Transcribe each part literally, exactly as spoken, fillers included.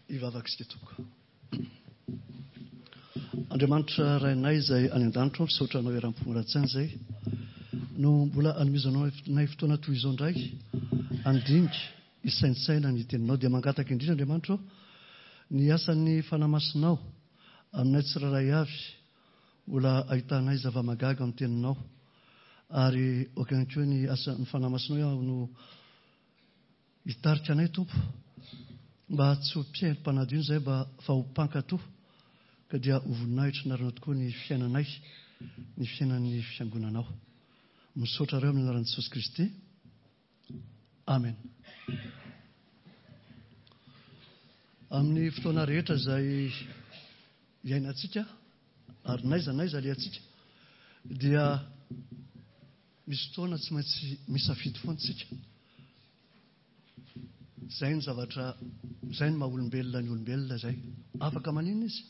Hivavaka isika tompoko. Andriamanitra Rainay izay any an-danitra, misaotra anao eram-po ara-tsaina izay no mbola anomezanao nay fotoana toy izao indray handinika hisaintsaina ny teninao. Dia mangataka indrindra Andriamanitra ny asan'ny Fanahy Masinao aminay tsirairay avy, mbola ahitanay zava-mahagaga amin'ny teninao, ary aoka ihany koa ny asan'ny Fanahy Masinao no hitarika anay Tompo, mba tsy ho mpihaino mpanadino izay mba fa ho mpankato, ka dia ho voninahitra anaranao tokoa ny fiainanay, ny fiainan'ny fiangonanao. Misaotra areo amin'ny anaran'i Jesosy Kristy. Amen. Amin'ny fotoana rehetra izay iainantsika ary n'aiza n'aiza alehantsika dia misy fotoana tsy maintsy misafidy foana isika. Izay ny zavatra, izay ny maha olombelona ny olombelona izay. Afaka maninona izy?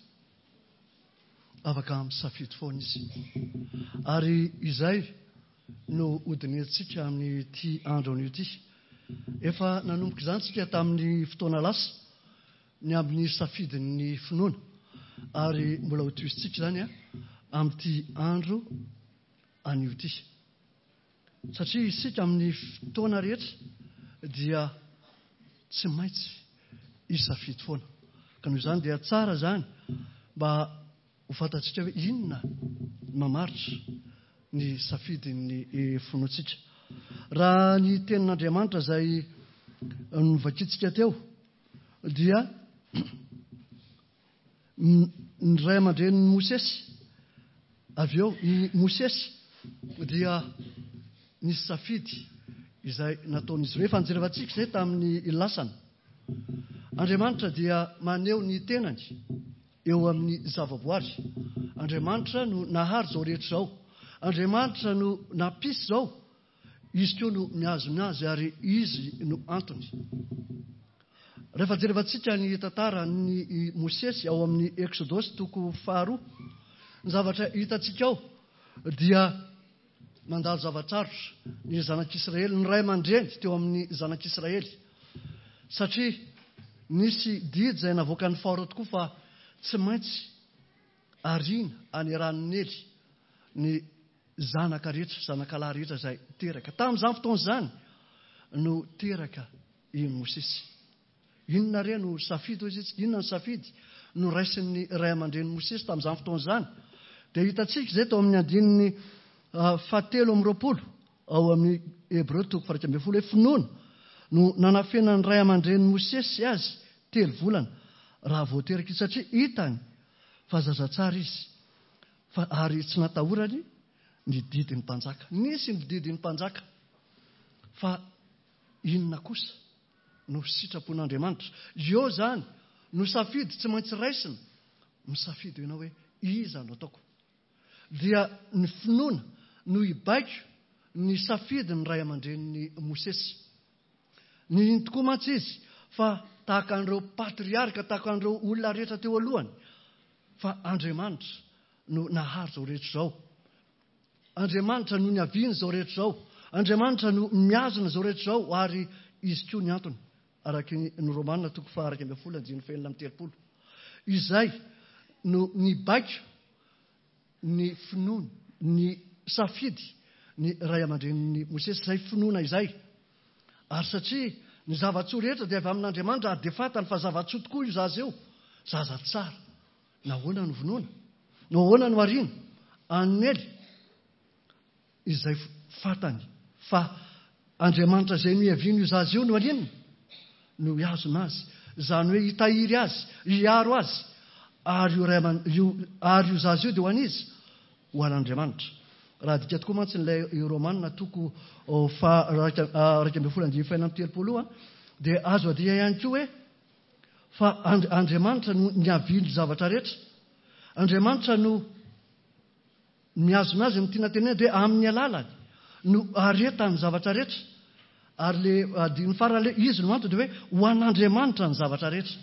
Afaka misafidy foana izy. Ary izay no hodinihantsika amin'ity andro anio ity. Efa nanomboka izany isika tamin'ny fotoana lasa, ny amin'ny safidin'ny finoana. Ary mbola hotohizintsika izany amin'ity andro anio ity. Satria isika amin'ny fotoana rehetra dia tsy maintsy hisafidy foana. Ka noho izany dia tsara izany mba ho fantatsika hoe inona mamaritra ny safidin'ny finoantsika. Raha ny tenin'Andriamanitra izay novakintsika teo dia ny ray aman-drenin'i Mosesy, avy eo i Mosesy dia nisy safidy izay nataon'izy ireo. Efa nijerevantsika izay tamin'ny lasana. Andriamanitra dia maneho ny tenany eo amin'ny zavaboary. Andriamanitra no nahary izao rehetra izao. Andriamanitra no nampisy izao. Izy koa no mihazona azy ary izy no antony. Rehefa jerevantsika ny tantaran'i Mosesy ao amin'ny Eksodosy toko faharoa, ny zavatra hitantsika ao dia mandalo zava-tsarotra ny zanak'Israely, ny ray aman-dreny teo amin'ny zanak'Israely, satria nisy didy izay navoakan'ny Farao tokoa fa tsy maintsy ariana any ranon'i Nily ny zanaka rehetra, zanakalahy rehetra izay teraka. Tamin'izany fotoana izany no teraka i Mosesy. Inona re no safidy hoy izy? Inona no safidy no raisin'ny ray aman-drenin'i Mosesy tamin'izany fotoana izany? Dia hitantsika izay tao amin'ny andininy fahatelo amby roapolo ao amin'ny Hebreo toko faha iraika ambin'ny folo hoe finoana no nanafenan'ny ray aman-drenin'i Mosesy azy telo volana raha vao teraka izy, satria hitany fa zaza tsara izy, fa ary tsy natahorany ny didin'ny mpanjaka. Nisy ny didin'ny mpanjaka, fa inona kosa no sitrapon'Andriamanitra? Eo izany no safidy tsy maintsy raisina. Misafidy ianao hoe iza no ataoko. Dia ny finoana no hibaiko ny safidy ny ray aman-drenin'i Mosesy. Nino tokoa mantsy izy fa tahaka an'ireo patriarka, tahaka an'ireo olona rehetra teo alohany, fa Andriamanitra no nahary izao rehetra izao. Andriamanitra no niaviany izao rehetra izao. Andriamanitra no mihazona izao rehetra izao, ary izy koa ny antony, araka ny Romana toko faha iraika ambin'ny folo andininy fahenina amby telopolo. Izay no nibaiko ny finoana, ny safidy ny ray aman-drenin'i Mosesy, izay finoana izay. Ary satria ny zava-tsoa rehetra dia avy amin'Andriamanitra, ary dia fantany fa zava-tsoa tokoa io zaza io, zaza tsara. Nahoana no vonoina? Nahoana no ariana? Anely izay fantany fa Andriamanitra izay niaviany io zaza io no aninona? No hihazona azy. Izany hoe hitahiry azy, hiaro azy. Ary io ray aman-, io, ary io zaza io dia ho an'iza? Ho an'Andriamanitra. Raha adika tokoa mantsy ilay Romana toko faha iraika ambin'ny folo andininy fahenina amby telopolo io, dia azo adika ihany koa hoe fa Andriamanitra no niavian'ny zavatra rehetra. Andriamanitra no mihazona azy, ny tiana tenena dia amin'ny alalany no aretan'ny zavatra rehetra. Ary le andininy farany le izy no antony dia hoe ho an'Andriamanitra ny zavatra rehetra.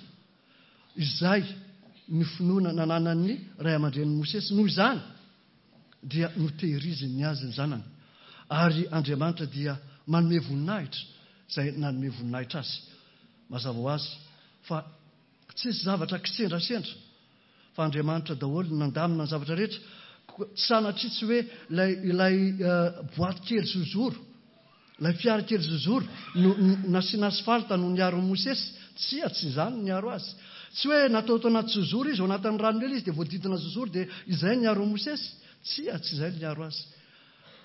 Izay ny finoana nananan'ny ray aman-drenin'i Mosesy. Noho izany dia notehiriziny ny azy ny zanany. Ary Andriamanitra dia manome voninahitra izay nanome voninahitra azy. Mazava ho azy fa Tsisy zavatra kisendrasendra fa Andriamanitra daholo no nandamina ny zavatra rehetra. Tsy sanatria tsy hoe ilay, ilay boaty kely zozoro, ilay fiara kely zozoro no nasiana asphalte no niaro an'i Mosesy. Tsia, tsy izany no niaro azy. Tsy hoe natao tao anaty zozoro izy, ao anatin'ny rano ela izy dia voadidina zozoro dia izay no niaro an'i Mosesy. Tsia, tsy izay no niaro azy.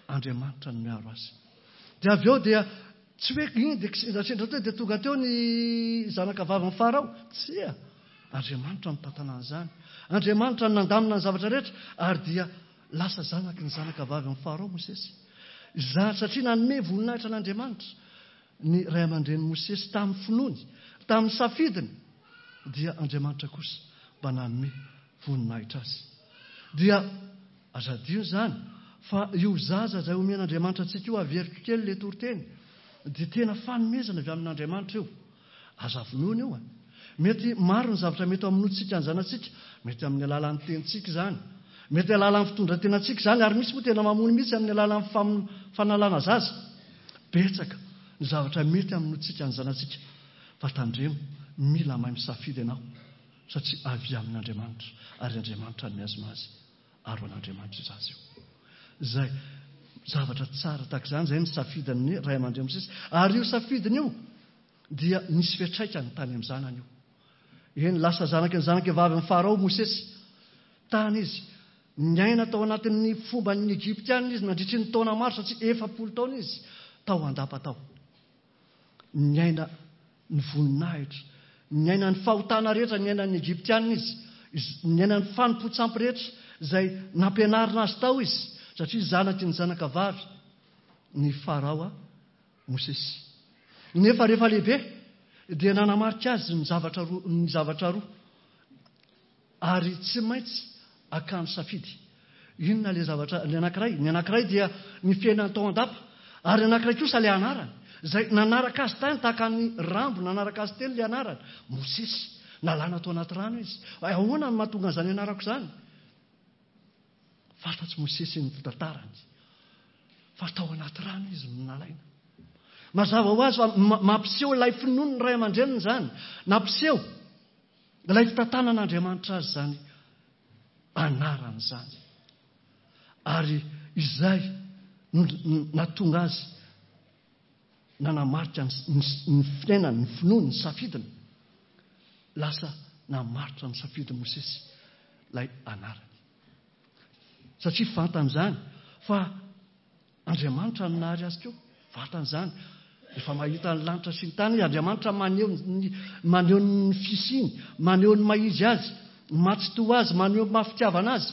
Andriamanitra no niaro azy. Dia avy eo dia tsy hoe iny dia kisendrasendra teo dia tonga teo ny zanaka vavin'i Farao. Tsia, Andriamanitra no nitantana an'izany. Andriamanitra no nandamina ny zavatra rehetra ary dia lasa zanaky ny zanaka vavin'i Farao Mosesy. Izany satria nanome voninahitra an'Andriamanitra ny ray aman-drenin'i Mosesy tamin'ny finoany, tamin'ny safidiny, dia Andriamanitra kosa mba nanome voninahitra azy. Dia aza adino izany fa io zaza izay omen'Andriamanitra antsika io, averiko kely ilay toriteny, dia tena fanomezana avy amin'Andriamanitra io. Aza vonoina io. Mety maro ny zavatra mety hamonoantsika ny zanatsika, mety amin'ny alalan'ny tenintsika izany, mety alalan'ny fitondran-tenantsika izany, ary misy moa tena mamono mihitsy amin'ny alalan'ny fam-, fanalana zaza. Betsaka ny zavatra mety hamonoantsika ny zanatsika, fa tandremo, mila mahay misafidy ianao, satria avy amin'Andriamanitra, ary Andriamanitra no mihazona azy, ary ho an'Andriamanitra io zaza io. Izay zavatra tsara tahaka izany, izay ny safidin'ny ray aman-dreny Mosesy, ary io safidiny io dia nisy fiantraikany tany amin'ny zanany io. Eny, lasa zanaky ny zanaka vavin'i Farao Mosesy. Tany izy, niaina tao anatin'ny fomban'ny Egyptiana izy nandritry ny taona maro, satria efapolo taona izy tao an-dapa tao. Niaina ny voninahitra, niaina ny fahotana rehetra, niaina ny Egyptiana izy, niaina ny fanompoan-tsampy rehetra izay nampianarina azy tao izy, satria zanaky ny zanaka vavy ny Farao Mosesy. Nefa rehefa lehibe dia nanamarika azy ny zavatra roa, ny zavatra roa, ary tsy maintsy akany safidy. Inona ilay zavatra? Ny anankiray, ny anankiray dia ny fiainany tao an-dapa, ary ny anankiray kosa ilay anarany, izay nanaraka azy tany tahaka ny rambo nanaraka azy teny ilay anarany, Mosesy. Nalana tao anaty rano izy. Ahoana no mahatonga an'izany anarako izany? Fantatr'i Mosesy ny fitantarany, fa tao anaty rano izy no nalaina. Mazava ho azy fa mampiseho ilay finoan'ny ray aman-dreniny izany, nampiseho ilay fitantanan'Andriamanitra azy izany anarany izany. Ary izay no nahatonga azy nanamarika ny, ny fiainany, ny finoany, ny safidiny. Lasa namaritra ny safidiny Mosesy ilay anarany. Satria fantany izany fa Andriamanitra no nahary azy koa. Fantany izany. Efa mahita ny lanitra sy ny tany izy. Andriamanitra maneho ny, maneho ny fisiany, maneho ny maha izy azy, mahatsitoha azy, maneho ny maha fitiavana azy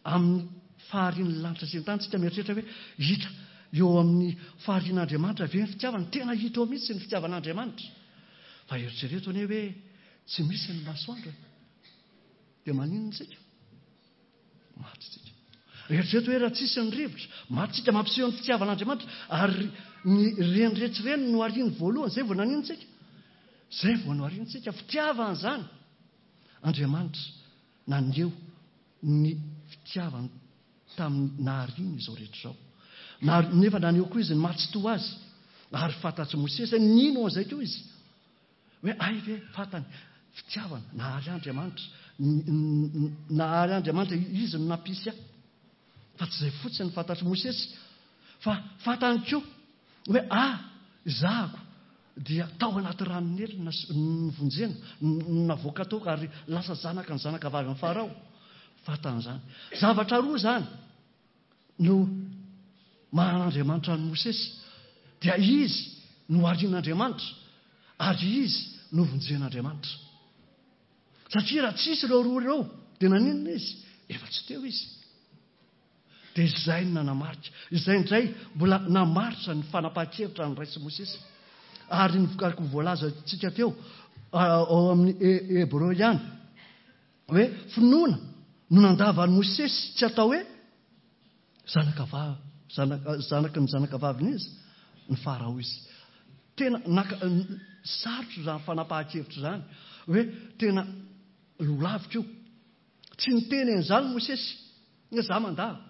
amin'ny faharian'ny lanitra sy ny tany. Tsika mieritreritra hoe hita eo amin'ny faharian'Andriamanitra ve ny fitiavana? Tena hita eo mihitsy ny fitiavan'Andriamanitra. Fa eritrereto anie hoe tsy misy ny masoandro e. Dia maninona isika? Maty isika. Eritrereto hoe raha tsisy ny rivotra, maty isika. Mampiseho ny fitiavan'Andriamanitra. Ary ny reny rehetra ireny no ariany voalohany, izay vao naninona isika? Izay vao nohariana isika. Fitiavana izany. Andriamanitra naneho ny fitiavany tamin'ny nahariany izao rehetra izao. Na-, nefa naneho koa izy ny maha-tsitoha azy. Ary fantatr'i Mosesy hoe nino an'izay koa izy. Hoe ay ve fantany, fitiavana, nahary Andriamanitra. N-, n-, n-, nahary Andriamanitra, izy no nampisy ahy. Fa tsy izay fotsiny fantatr'i Mosesy, fa fantany koa hoe ah, izahako dia tao anaty ranon'ely nas-, novonjena, n-, navoaka tao ary lasa zanaka ny zanaka vavy amin'ny Farao. Fantany izany. Zavatra roa izany no maha-Andriamanitra an'i Mosesy. Dia izy no harian'Andriamanitra ary izy no vonjen'Andriamanitra. Satria raha tsisy ireo roa ireo dia naninona izy? Efa tsy teo izy. Dia izay no nanamarika. Izay indray mbola namaritra ny fanapahan-kevitra ny Ray sy Mosesy. Ary ny vokariko voalazantsika teo, ao amin'ny E-, Hebreo ihany, hoe finoana no nandavan'i Mosesy tsy atao hoe zanaka va-, zanaka, zanaky ny zanaka vaviny izy, ny Farao izy. Tena naka, sarotra izany fanapahan-kevitra izany, hoe tena lolavitra io. Tsy niteny an'izany Mosesy, hoe za mandava.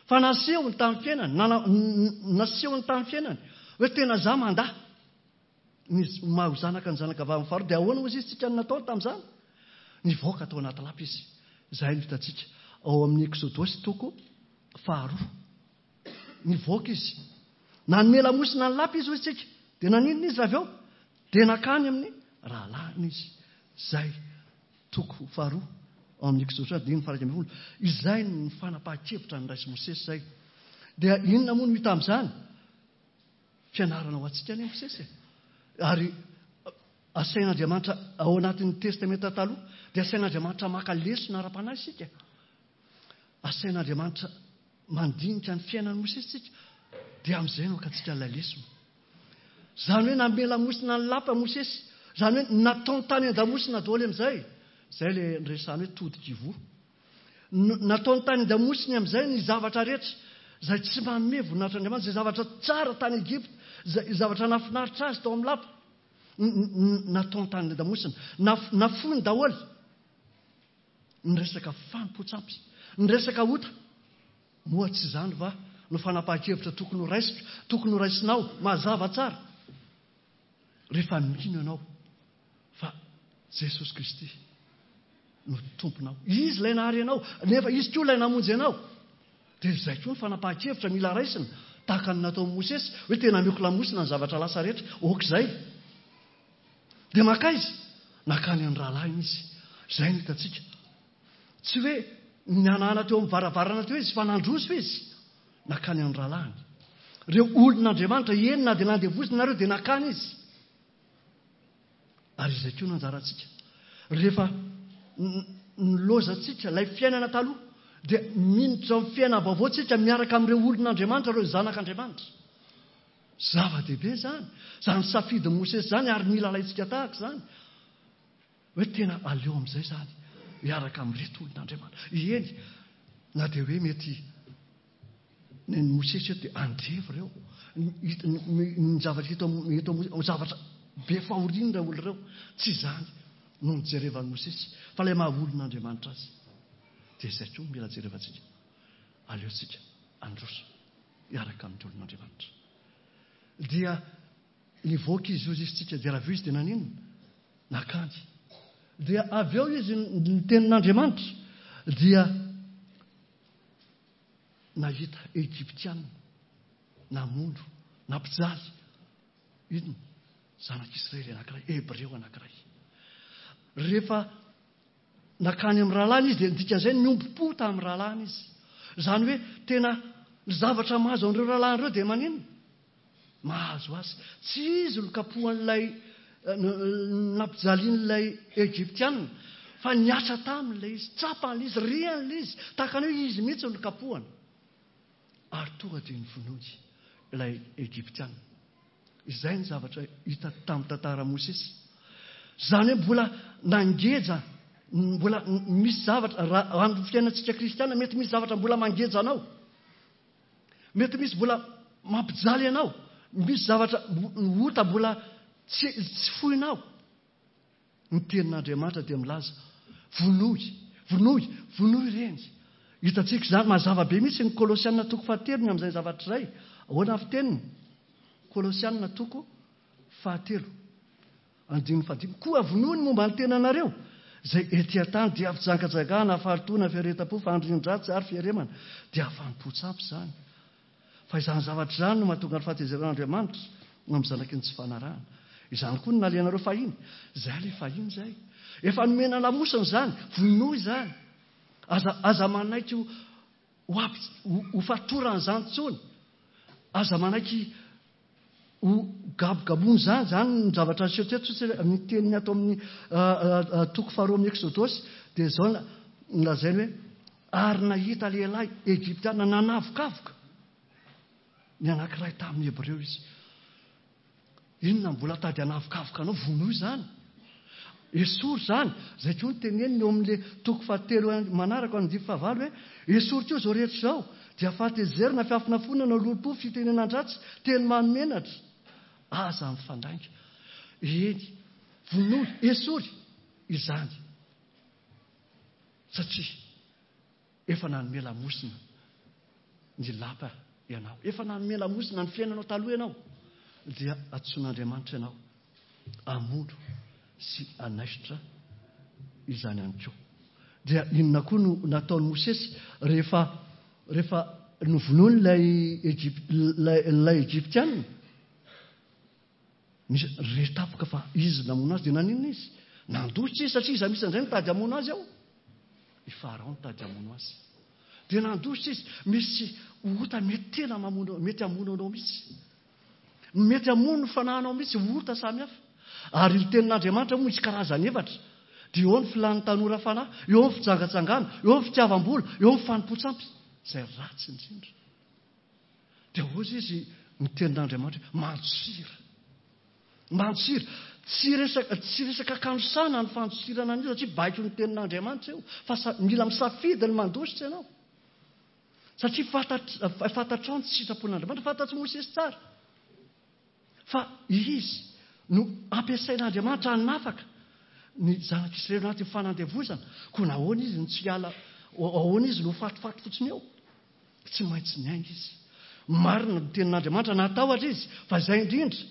Fa nasehony tamin'ny fiainany, nana-, nasehony tamin'ny fiainany, hoe tena za mandà ny maha zanaka ny zanaka vavin'ny Farao. Dia ahoana hozy izy tsika ny nataony tamin'izany? Nivoaka tao anaty lapa izy. Izay no hitantsika ao amin'ny Eksodosy toko faharoa. Nivoaka izy. Nanome lamosina ny lapa izy hoy isika. Dia naninona izy avy eo? Dia nakany amin'ny rahalahiny izy. Izay toko faharoa ao amin'ny Eksodosy andininy faha iraika ambin'ny folo. Izay no fanapahan-kevitra niraisin'i Mosesy izay. Dia inona moa no hita amin'izany? Fianarana ho antsika anie Mosesy e. Ary asain'Andriamanitra ao anatin'ny Testamenta Taloha dia asain'Andriamanitra maka lesona ara-panahy isika. Asain'Andriamanitra mandinika ny fiainan'i Mosesy isika. Dia amin'izay no hakantsika ilay lesona. Izany hoe nanome lamosina ny lapa Mosesy. Izany hoe nataony tany an-damosina daholo amin'izay. Izay ilay niresahany hoe todika ivoho. Nataony tany an-damosiny amin'izay ny zavatra rehetra izay tsy manome voninahitr'Andriamanitra, izay zavatra tsara tany Egypta, izay zavatra nahafinaritra azy tao amin'ny lapa. Nataony tany an-damosina. Nafoiny daholo. Ny resaka fanompoan-tsampy, ny resaka ota. Moa tsy izany va no fanapahan-kevitra tokony ho raisiko, tokony ho raisinao, mazava tsara. Rehefa mino ianao fa Jesosy Kristy no tomponao. Izy ilay nahary anao, nefa izy koa ilay namonjy anao. Dia izay koa ny fanapahan-kevitra mila raisina, tahaka ny nataon'i Mosesy, hoe tena ameko lamosina ny zavatra lasa rehetra, ok izay. Dia makaiza? Nakany amin'ny rahalahiny izy. Izay no hitantsika. Tsy hoe nihanahana teo amin'ny varavarana teo izy, fa nandroso izy. Nakany amin'ny rahalahiny. Ireo olon'Andriamanitra, eny na dia nandevozina nareo, dia nakany izy. Ary izay koa no anjarantsika. Rehefa nilozantsika ilay fiainana taloha, dia miditra amin'ny fiainana vaovao tsika miaraka amin'ireo olon'Andriamanitra, ireo zanak'Andriamanitra. Zava-dehibe izany. Izany safidin'i Mosesy izany, ary mila alaintsika tahaka izany. Hoe tena aleo amin'izay izany, miaraka amin'ireto olon'Andriamanitra. Eny, na dia hoe mety ny Mosesy eto dia andevo ireo. Ny zavatra eto eto zavatra be fahoriana ireo olona ireo. Tsy izany no nijerevan'i Mosesy, fa ilay maha olon'Andriamanitra azy. Dia izay koa mila jerevantsika. Aleontsika androso hiaraka amin'ny olon'Andriamanitra. Dia nivoaka izy hozy izy tsika, dia raha avy eo izy dia naninona? Nakany. Dia avy eo izy ny tenin'Andriamanitra dia nahita Egyptiana namono, nampijaly inona? Zanak'Israely anankiray, Hebreo anankiray. Rehefa nakany amin'ny rahalahiny izy dia nidikan'izay niombom-po tamin'ny rahalahiny izy. Izany hoe tena ny zavatra mahazo an'ireo rahalahiny ireo dia maninona? Mahazo azy. Tsy izy no kapohan'ilay nampijalian'ilay Egyptiana, fa niasa tamin'ilay izy, tsapan'ilay izy, rian'ilay izy, tahaka ny hoe izy mihitsy no kapohana. Ary tonga dia novonoiny ilay Egyptiana. Izay ny zavatra hita tamin'ny tantara Mosesy. Izany hoe mbola nangeja, mbola misy zavatra, raha amin'ny fiainantsika kristiana, mety misy zavatra mbola mangeja anao. Mety misy mbola mampijaly anao. Misy zavatra ota mbola tsy, tsy foinao. Ny tenin'Andriamanitra dia milaza, vonoy, vonoy, vonoy ireny. Hitantsika izany, mazava be mihitsy ny Kolosiana toko fahatelo ny amin'izay zavatra izay. Ahoana ny fiteniny? Kolosiana toko fahatelo, andininy fahadimy. Koa vonoy ny momba ny tenanareo, izay ety an-tany dia fijangajangana, fahalotoana, fiaretam-po, fanirian-dratsy ary fieremana. Dia fanompoan-tsampy izany. Fa izany zavatra izany no mahatonga ny fahatezeran'Andriamanitra amin'ny zanaky ny tsy fanarahana. Izany koa no nalehanareo fahiny. Izay ilay fahiny izay. Efa nomena lamosina izany, vonoy izany. Aza, aza manaiky ho, ho ampi-, ho, ho fatoran'izany intsony. Aza manaiky ho gabogaboana izany. Izany ny zavatra niseho teto, satria ny teniny ato amin'ny, ah, ah, toko faharoa amin'ny Eksodosy dia izao na-, nolazainy hoe ary nahita lehilahy egyptiana nanavokavoka ny anankiray tamin'ny Hebreo izy. Inona mbola tady hanavokavoka anao? Vonoy izany. Esory izany. Izay koa ny teneniny eo amin'ilay toko fahatelo manaraka andininy fahavalo hoe esory koa izao rehetra izao. Dia fahatezerana, fiafonafonana, lolompo, fitenenan-dratsy, teny mahamenatra. Aza mifandainga. Eny, vonoy, esory izany. Satria efa nanome lamosina ny lapa ianao. Efa nanome lamosina ny fiainanao taloha ianao. Dia antsoin'Andriamanitra ianao hamono sy hanaisotra izany ihany koa. Dia inona koa no nataon'i Mosesy rehefa rehefa novonoiny ilay Egyp-, ilay, ilay Egyptiana? Misy re tampoka fa izy namono azy, dia naninona izy? Nandositra izy satria iza misy indray mitady hamono azy ao? I Farao nitady hamono azy. Dia nandositra izy. Misy ota mety tena mamono, mety hamono anao mihitsy. Mety hamono ny fanahinao mihitsy, ota samihafa. Ary ny tenin'Andriamanitra moa misy karazany efatra. Dia eo ny filan'ny tanora fanahy, eo ny fijangajangana, eo ny fitiavam-bola, eo ny fanompoan-tsampy, izay ratsy indrindra. Dia hoy izy ny tenin'Andriamanitra hoe mandosira. Mandosira. Tsy resaka, tsy resaka kanosana ny fandosirana an'io, satria baiko ny tenin'Andriamanitra io, fa sa-, mila misafidy ny mandositra ianao. Satria fantatr-, fantatrao ny sitrapon'Andriamanitra, fantatr'i Mosesy tsara. Fa izy no ampiasain'Andriamanitra hanafaka ny zanak'Israely anatin'ny fanandevozana. Koa nahoana izy no tsy hiala, ahoana izy no fatifaty fotsiny eo? Tsy maintsy niainga izy. Marina ny tenin'Andriamanitra, natahotra izy, fa izay indrindra.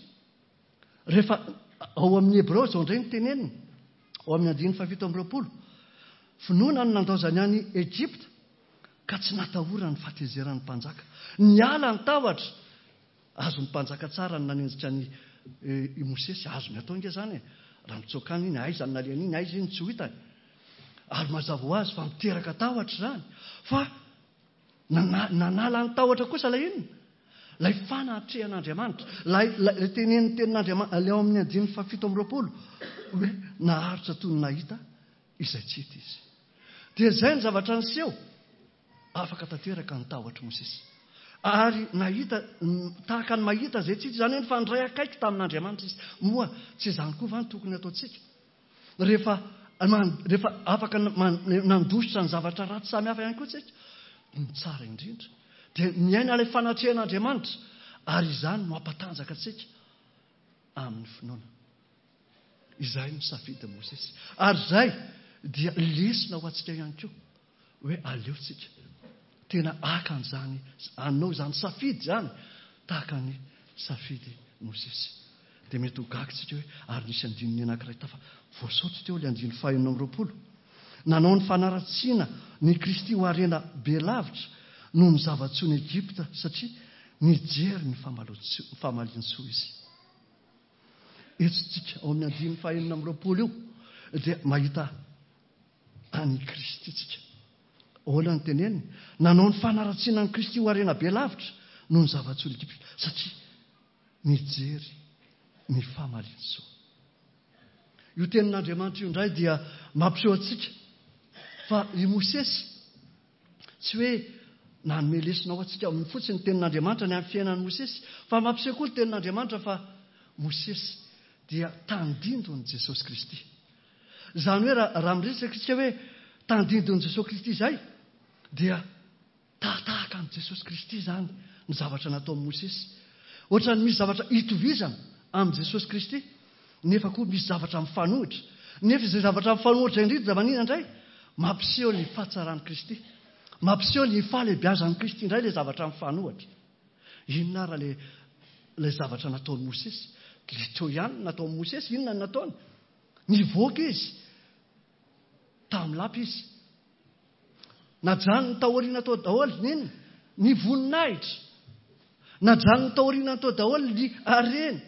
Rehefa ao amin'ny Hebreo izao indray ny teneniny, ao amin'ny andininy fahafito amby roapolo, finoana no nandaozany any Egypta, ka tsy natahorany ny fahatezeran'ny mpanjaka. Niala ny tahotra, azon'ny mpanjaka tsara ny nanenjika ny, eh, i Mosesy, azony atao nge zany e. Raha mitsoaka any iny, aiza ny nalehany iny, aiza iny tsy ho hitany. Ary mazava ho azy fa miteraka tahotra izany. Fa nana-, nanala ny tahotra kosa ilay inona? Ilay fanatrehan'Andriamanitra, ilay, ilay, ilay tenenin'ny tenin'Andriamanitra, ilay ao amin'ny andininy fahafito amby roapolo, hoe naharitra toy ny nahita izay tsy hita izy. Dia izay ny zavatra niseho, afaka tanteraka ny tahotra Mosesy. Ary nahita, tahaka ny mahita izay tsy hita, izany hoe nifandray akaiky tamin'Andriamanitra izy. Moa tsy izany koa va no tokony ataontsika? Rehefa man-, rehefa afaka man-, nandositra ny zavatra ratsy samihafa ihany koa tsika, ny tsara indrindra dia miaina ilay fanatrehan'Andriamanitra, ary izany no hampatanjaka antsika amin'ny finoana. Izay no safidin'i Mosesy. Ary izay dia lesona ho antsika ihany koa, hoe aleontsika tena haka an'izany, hanao izany safidy izany, tahaka ny safidy Mosesy. Dia mety ho gaga tsika hoe ary nisy andininy anankiray tafa voasaotra teo ilay andininy fahenina amby roapolo. Nanao ny fanaratsiana ny Kristy ho harena be lavitra noho ny zava-tsoan'i Egypta, satria nijery ny famalo-tso-, famalintsoa izy. Eto tsika ao amin'ny andininy fahenina amby roapolo io dia mahita an'i Kristy tsika. Ahoana ny teneniny? Nanao ny fanaratsiana an'i Kristy ho harena be lavitra noho ny zava-tsoan'i Egypta, satria nijery ny famalintsoa. Io tenin'Andriamanitra io indray dia mampiseho antsika fa i Mosesy tsy hoe nanome lesona ho antsika amin'ny fotsiny ny tenin'Andriamanitra ny amin'ny fiainan'i Mosesy, fa mampiseho koa ny tenin'Andriamanitra fa Mosesy dia tandindon'i Jesosy Kristy. Izany hoe raha, raha miresaka isika hoe tandindon'i Jesosy Kristy izay, dia tahatahaka amin'i Jesosy Kristy izany ny zavatra nataon'i Mosesy. Ohatran'ny misy zavatra itovizana amin'i Jesosy Kristy, nefa koa misy zavatra mifanohitra. Nefa izay zavatra mifanohitra indrindra maninona indray? Mampiseho ny fahatsaran'i Kristy. Mampiseho ny fahalehibiazan'i Kristy indray ilay zavatra mifanohitra. Inona ary ilay, ilay zavatra nataon'i Mosesy? Ilay teo ihany no nataon'i Mosesy, inona no nataony? Nivoaka izy. Tamin'ny lapa izy. Najanony taoriana tao daholo ny inona? Ny voninahitra. Najanony taoriana tao daholo ny harena.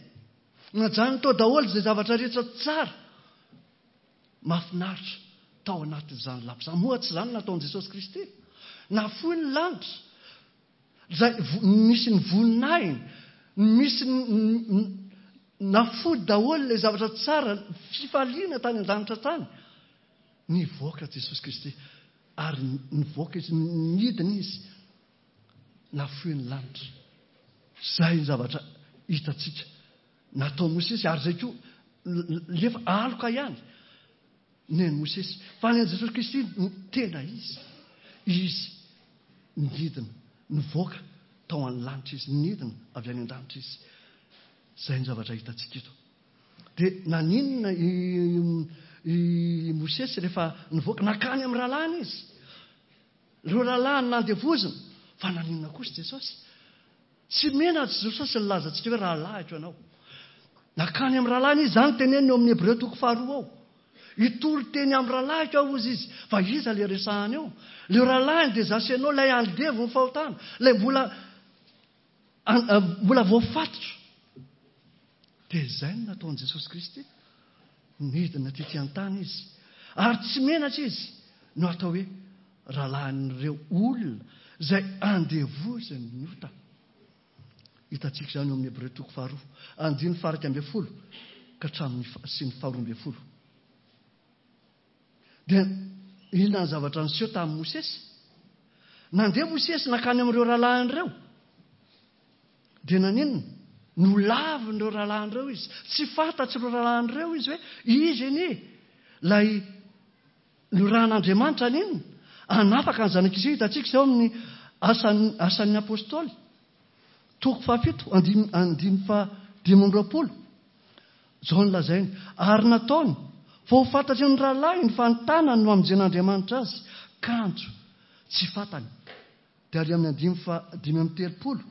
Najanony tao daholo izay zavatra rehetra tsara. Mahafinaritra tao anatin'izany lapa izany. Moa tsy izany nataon'i Jesosy Kristy? Nafoy ny lanitra. Izay vo-, misy ny voninahiny, misy ny, ny, ny, nafoy daholo ilay zavatra tsara, fifaliana tany an-danitra tany. Nivoaka Jesosy Kristy ary nivoaka izy, nidina izy, nafoy ny lanitra. Izay ny zavatra hitantsika nataon'i Mosesy, ary izay koa lefa aloka ihany ny an'i Mosesy. Fa ny an'i Jesosy Kristy no tena izy. Izy nidina, nivoaka tao amin'ny lanitra izy, nidina avy any an-danitra izy. Izay ny zavatra hitantsika eto. Dia naninona i, i Mosesy rehefa nivoaka? Nankany amin'ny rahalahiny izy. Ireo rahalahiny nandevozina. Fa naninona kosa Jesosy? Tsy menatra Jesosy nilaza antsika hoe rahalahiko ianao. Nakany amin'ny rahalahiny izy, izany teneniny eo amin'ny Hebreo toko faharoa ao. Hitory teny amin'ny rahalahiko aho, hozy izy. Fa iza ilay resahany eo? Ilay rahalahiny dia izaho sy ianao, ilay andevo ny fahotana, ilay mbola, mbola voafatotra. Dia izay no nataon'i Jesosy Kristy. Nidina tety an-tany izy. Ary tsy menatra izy no atao hoe rahalahin'ireo olona izay andevozin'ny ota. Hitantsika izany eo amin'ny Hebreo toko faharoa, andininy faha-iraika ambin'ny folo ka hatramin'ny sy ny faharoa ambin'ny folo. Dia inona ny zavatra niseho tamin'i Mosesy? Nandeha Mosesy nankany amin'ireo rahalahiny ireo. Dia naninona? Nolavin'ireo rahalahiny ireo izy. Tsy fantatr'ireo rahalahiny ireo izy hoe izy anie ilay norahan'Andriamanitra haninona? Hanafaka ny zanak'Israely. Hitantsika izao amin'ny asan'ny, asan'ny apôstôly. Toko fahafito, andininy, andininy fahadimy amby roapolo. Izao no lazainy, ary nataony fa ho fantatry ny rahalahiny fa ny tanany no hamonjen'Andriamanitra azy, kanjo tsy fantany. Dia ary amin'ny andininy fahadimy amby telopolo,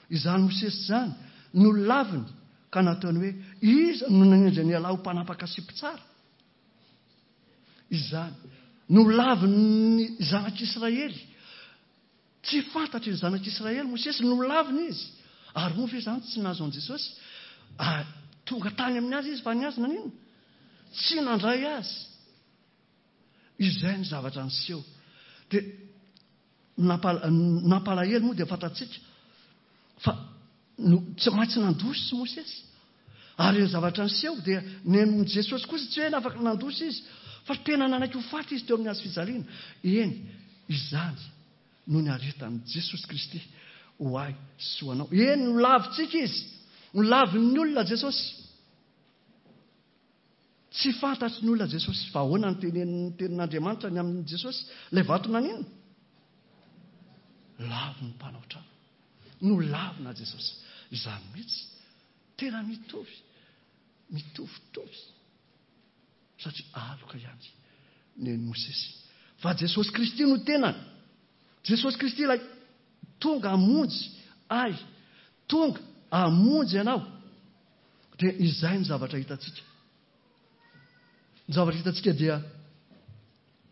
izany Mosesy izany no laviny ka nataony hoe, iza no nanendry an'i Allah ho mpanapaka sy mpitsara? Izany no lavin'ny zanak'Israely. Tsy fantatry ny zanak'Israely Mosesy, nolaviny izy. Ary moa ve izany tsy nahazo an'i Jesosy? Ary tonga tany amin'ny azy izy, fa ny azy naninona? Tsy nandray azy. Izay ny zavatra niseho. Dia nampalahelo moa dia fantatsika fa no, tsy maintsy nandositra Mosesy. Ary ny zavatra niseho dia ny Jesosy kosa tsy hoe nafaka nandositra izy, fa tena nanaiky ho faty izy teo amin'ny hazo fijaliana. Eny, izany no niaretan'i Jesosy Kristy ho ahy sy ho anao. Eny, nolavintsika izy, nolavin'ny olona Jesosy. Tsy fantatry ny olona Jesosy. Fa ahoana ny tenenin'ny tenin'Andriamanitra ny amin'i Jesosy? Ilay vato naninona? Lavin'ny mpanao trano. Nolavina Jesosy. Izany mihitsy. Tena mitovy. Mitovitovy. Satria aloka ihany ny an'i Mosesy. Fa Jesosy Kristy no tenany. Jesosy Kristy ilay tonga hamonjy ahy, tonga hamonjy anao. Dia izay ny zavatra hitantsika. Ny zavatra hitantsika dia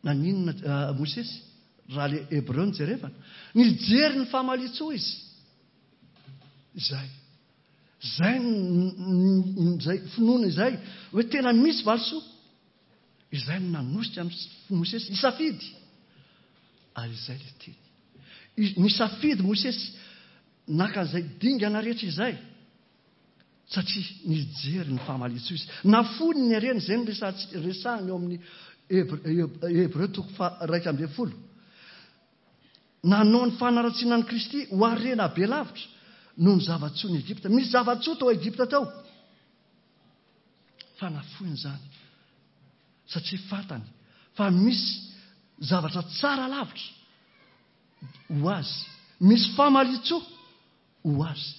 naninona uh, Mosesy raha le Hebreo no jerevana. Nijery ny famalian-tsoa izy. Izay. Izay izay finoana izay hoe tena misy valisoa. Izay no nanosika Mosesy hisafidy. Ary izay ilay teny. Nisafidy Mosesy naka an'izay dingana rehetra izay, satria nijery ny famalian-tsoa izy. Nafoiny ny harena, izay no resahiny eo amin'ny Hebreo toko faha-iraika ambin'ny folo. Nanao ny fanaratsiana an'i Kristy ho harena be lavitra noho ny zava-tsoa ny Egypta. Misy zava-tsoa tao Egypta tao. Fa nafoiny izany, satria fantany fa misy zavatra tsara lavitra ho azy, misy famalian-tsoa ho azy.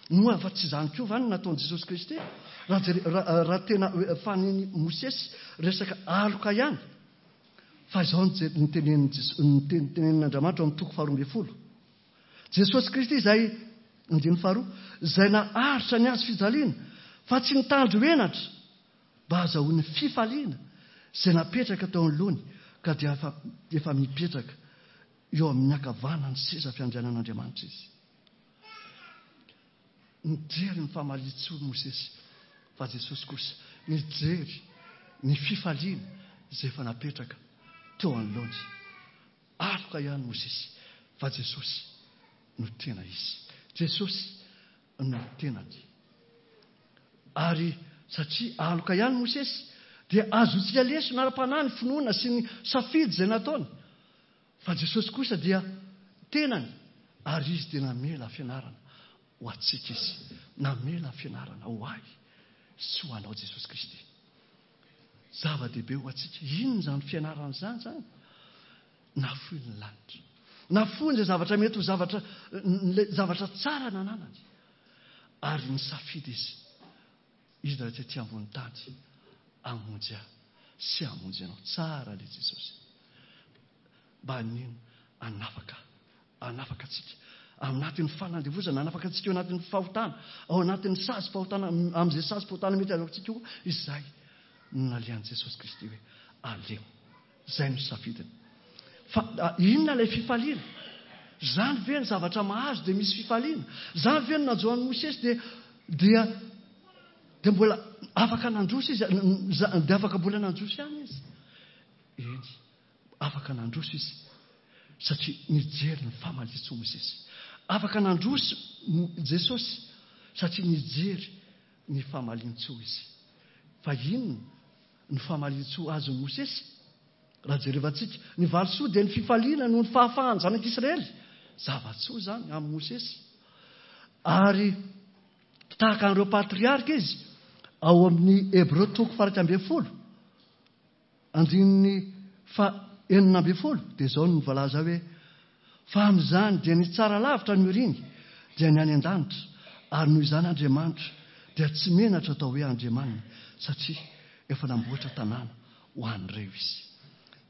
Moa fa tsy izany koa va no nataon'i Jesosy Kristy? Raha jere-, raha, raha tena faniny Mosesy resaka aloka ihany, fa izao no je-, no tenenin'i Jes-, no ten-, tenenin'Andriamanitra ao amin'ny toko faharoa ambin'ny folo. Jesosy Kristy izay, andininy faharoa, izay naharitra ny hazo fijaliana, fa tsy nitandro henatra, mba hahazahoany fifaliana izay napetraka teo anoloany, ka dia efa, efa mipetraka eo amin'ny ankavanan'ny seza fiandrianan'Andriamanitra izy. Nijery ny famalian-tsoa Mosesy, fa Jesosy kosa nijery ny fifaliana izay efa napetraka teo anoloany. Aloka ihany Mosesy, fa Jesosy no tena izy. Jesosy no tenany. Ary satria aloka ihany Mosesy, dia azontsika lesona ara-panahy ny finoana sy ny safidy izay nataony. Fa Jesosy kosa dia tenany, ary izy dia namela fianarana ho antsika izy. Namela fianarana ho ahy sy ho anao Jesosy Kristy. Zava-dehibe ho antsika. Inona izany fianarana izany izany? Nafoy ny lanitra. Nafoy izay zavatra mety ho zavatra, ilay zavatra tsara nananany. Ary nisafidy izy. Izy raha tety ambony tany hamonjy ahy sy hamonjy anao. Tsara ilay Jesosy. Mba hanino? Hanafaka, hanafaka antsika Anatin'ny fanandevozana, nanafaka antsika ao anatin'ny fahotana, ao anatin'ny sazim-pahotana, amin'izay sazim-pahotana mety azo antsika io, izay no nalehan'i Jesosy Kristy hoe aleo. Izay no safidiny. Fa inona ilay fifaliana? Izany ve ny zavatra mahazo dia misy fifaliana? Izany ve no nanjo an'i Mosesy dia dia dia mbola afaka nandroso izy, dia afaka mbola nandroso ihany izy? Eny, afaka nandroso izy satria nijery ny famalian-tsoa Mosesy. Afaka nandroso Jesosy satria nijery ny famalian-tsoa izy. Fa inona ny famalian-tsoa azon'i Mosesy? Raha jerevantsika, ny valisoa dia ny fifaliana noho ny fahafahan'ny zanak'Israely. Zava-tsoa izany amin'i Mosesy. Ary tahaka an'ireo patriarka izy ao amin'ny Hebreo toko faha-iraika ambin'ny folo, andininy faha-enina ambin'ny folo, dia izao no voalaza hoe: fa amin'izany dia ny tsara lavitra no iriny, dia ny any an-danitra, ary noho izany Andriamanitra dia tsy menatra atao hoe Andriamaniny, satria efa namboatra tanàna ho an'ireo izy.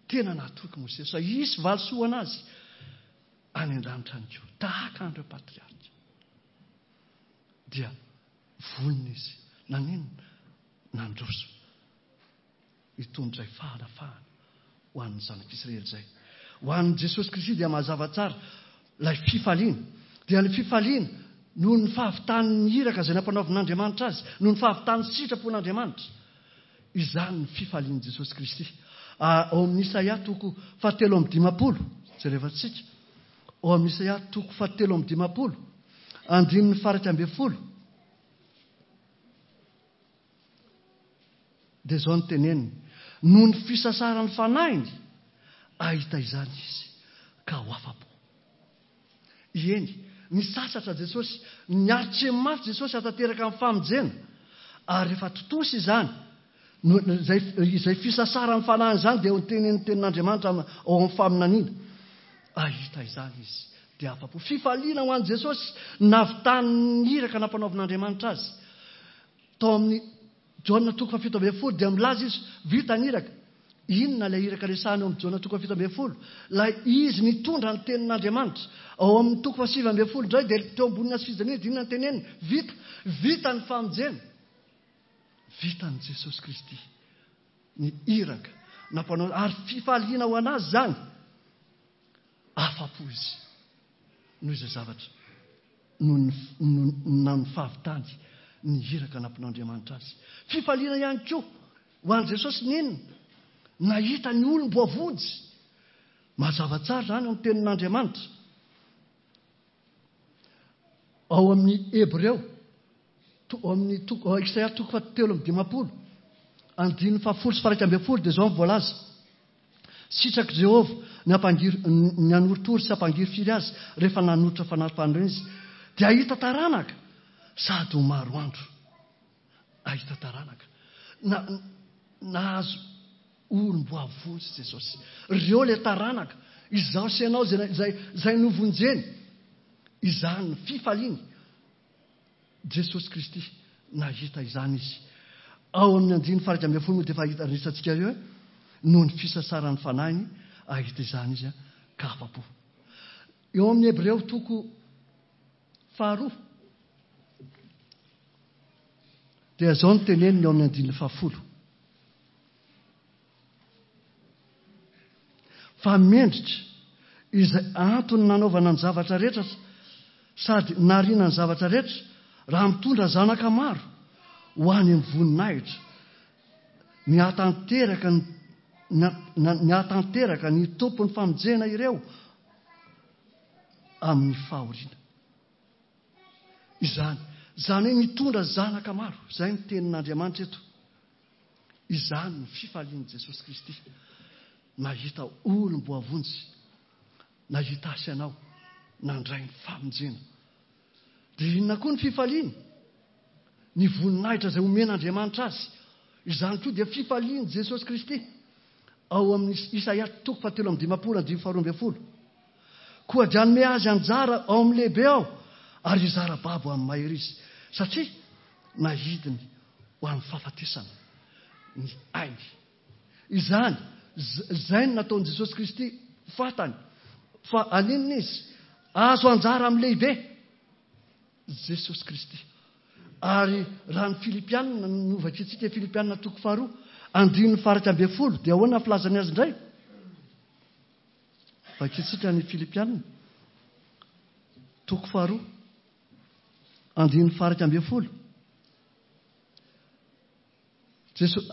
Tena natoky Mosesy fa hisy valisoa anazy any an-danitra any koa, tahaka an'ireo patriarka. Dia vonona izy, naninona? Nandroso hitondra izay fahalafahana ho an'ny zanak'Israely izay. Ho an'i Jesosy Kristy dia mazava tsara ilay fifaliana. Dia ny fifaliana noho ny fahavitan'ny iraka izay nampanaovin'Andriamanitra azy, noho ny fahavitan'ny sitrapon'Andriamanitra. Izany ny fifalian'i Jesosy Kristy. Ao amin'ny Isaia toko fahatelo amby dimampolo, jerevantsika. Ao amin'ny Isaia toko fahatelo amby dimampolo, andininy faha-iraika ambin'ny folo. Dia izao no teneniny: noho ny fisasaran'ny fanahiny, ahita izany izy ka ho afa-po. Eny, nisasatra Jesosy, niaritra mafy Jesosy hatanteraka amin'ny famonjena, ary rehefa tontosa izany, izay, izay fisasaran'ny fanahiny izany dia ho tenenin'ny tenin'Andriamanitra ao amin'ny faminaniana. Ahita izany izy dia afa-po. Fifaliana ho an'i Jesosy navitan'ny iraka nampanaovin'Andriamanitra azy. Tao amin'ny Jaona toko fahafito ambin'ny folo dia milaza izy, vita ny iraka. Inona ilay iraka resahana eo amin'ny Jaona toko fahafito ambin'ny folo? Ilay izy nitondra ny tenin'Andriamanitra. Ao amin'ny toko fahasivy ambin'ny folo indray dia teo ambonina sy fijaliana dia inona ny teneniny? Vita, vita ny famonjena. Vitan'i Jesosy Kristy ny iraka nampanao, ary fifaliana ho anazy izany. Afa-po izy noho izay zavatra noho ny fahavitany ny iraka nampinaon'Andriamanitra azy. Fifaliana ihany koa ho an'i Jesosy ninona? Nahita ny olom-boavonjy. Mazava tsara izany amin'ny tenin'Andriamanitra. Ao amin'ny Hebreo, ao amin'ny toko Isaia toko fahatelo amby dimampolo, andininy fahafolo sy faha-iraika ambin'ny folo, dia izao no voalaza: sitrak'i Jehovah ny hampangiry, ny hanorotoro sy hampangirifiry azy rehefa nanolotra fanahy-panorenana izy, dia hahita taranaka sady ho maro andro. Hahita taranaka. Na, nahazo olom-boavonjy Jesosy. Ireo ilay taranaka, izaho sy ianao izay, izay, izay novonjeny. Izany ny fifaliany. Jesosy Kristy nahita izany izy. Ao amin'ny andininy faha-iraika ambin'ny folo moa dia efa hita resatsika eo hoe noho ny fisasaran'ny fanahiny ahita izany izy ka afa-po. Eo amin'ny Hebreo toko faharoa dia izao no teneniny eo amin'ny andininy fahafolo: fa mendrika izay antony nanaovana ny zavatra rehetra sady nariana ny zavatra rehetra raha mitondra zanaka maro ho any amin'ny voninahitra, ny hahatanteraka ny, ny hahatanteraka ny tompon'ny famonjena ireo amin'ny fahoriana. Izany, izany hoe mitondra zanaka maro, izay ny tenin'Andriamanitra eto. Izany ny fifalian'i Jesosy Kristy. Nahita olom-boavonjy, nahita azy ianao, nandray ny famonjena. Dia inona koa ny fifaliany? Ny voninahitra izay omen'Andriamanitra azy. Izany koa dia fifalian'i Jesosy Kristy. Ao amin'ny Isaia toko fahatelo amby dimampolo andininy faharoa ambin'ny folo. Koa dia hanome azy anjara ao amin'ny lehibe aho, ary hizara babo amin'ny mahery izy, satria nahidiny ho an'ny fahafatesana ny ainy. Izany, izay no nataon'i Jesosy Kristy fantany fa haninona izy? Azo anjara amin'ny lehibe, Jesosy Kristy. Ary raha ny Filipianina, novakintsika Filipianina toko faharoa, andininy faha-iraika ambin'ny folo, dia ahoana ny filazany azy indray? Vakintsika ny Filipianina toko faharoa, andininy faha-iraika ambin'ny folo. Jesosy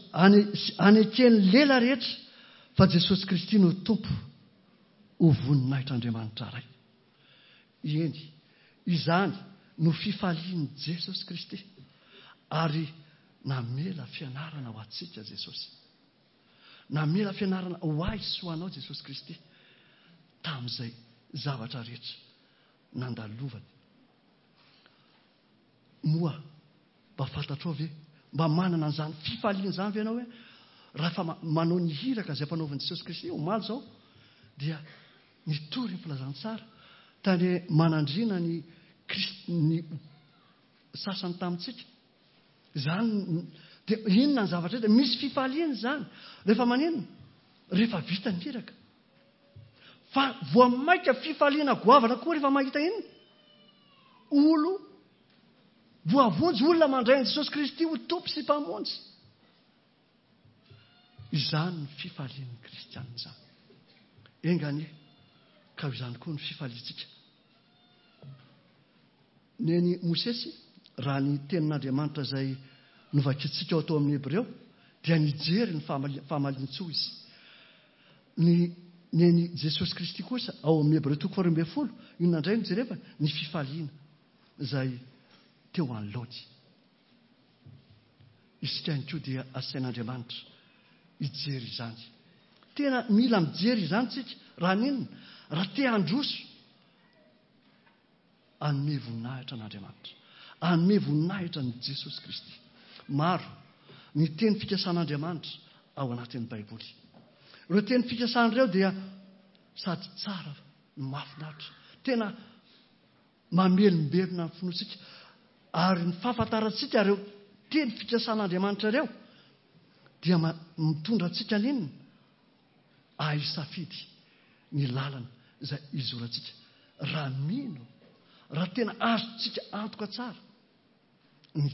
aneken'ny lela rehetra fa Jesosy Kristy no Tompo, ho voninahitr'Andriamanitra Ray. Eny, izany no fifalian'i Jesosy Kristy, ary namela fianarana ho antsika Jesosy. Namela fianarana ho ahy sy ho anao Jesosy Kristy tamin'izay zavatra rehetra nandalovany. Moa mba fantatrao ve, mba manana an'izany fifaliana izany ve ianao hoe raha fa manao ny hiraka izay mpanaovan'i Jesosy Kristy omaly izao dia nitory ny filazantsara tany manandriana ny Kristy ny sasany tamintsika. Izany dia inona ny zavatra rehetra? Misy fifaliana izany rehefa maninona? Rehefa vita ny hiraka. Fa voa maika fifaliana goavana koa rehefa mahita inona? Olo voavonjy, olona mandray an'i Jesosy Kristy ho Tompo sy Mpamonjy. Izany ny fifalian'ny kristianina izany. Enga anie ka ho izany koa ny fifaliantsika. Neny Mosesy, raha ny tenin'Andriamanitra izay novakintsika ao tao amin'ny Hebreo, dia nijery ny fahamalian-tsoa izy. Ny neny Jesosy Kristy kosa ao amin'ny Hebreo toko faharoa ambin'ny folo, inona indray no jerevana? Ny fifaliana izay teo anoloany. Isika ihany koa dia asain'Andriamanitra hijery izany. Tena mila mijery izany tsika, raha n'inona? Raha te handroso, hanome voninahitra an'Andriamanitra, hanome voninahitra an'i Jesosy Kristy. Maro ny teny fikasan'Andriamanitra ao anatin'ny Baiboly. Ireo teny fikasana ireo dia sady tsara no mahafinaritra. Tena mamelombelona ny finoantsika. Ary ny fahafantarantsika ireo teny fikasan'Andriamanitra ireo dia mitondra antsika n'inona? Ahisafidy ny lalana izay izorantsika. Raha mino, raha tena azontsika antoka tsara ny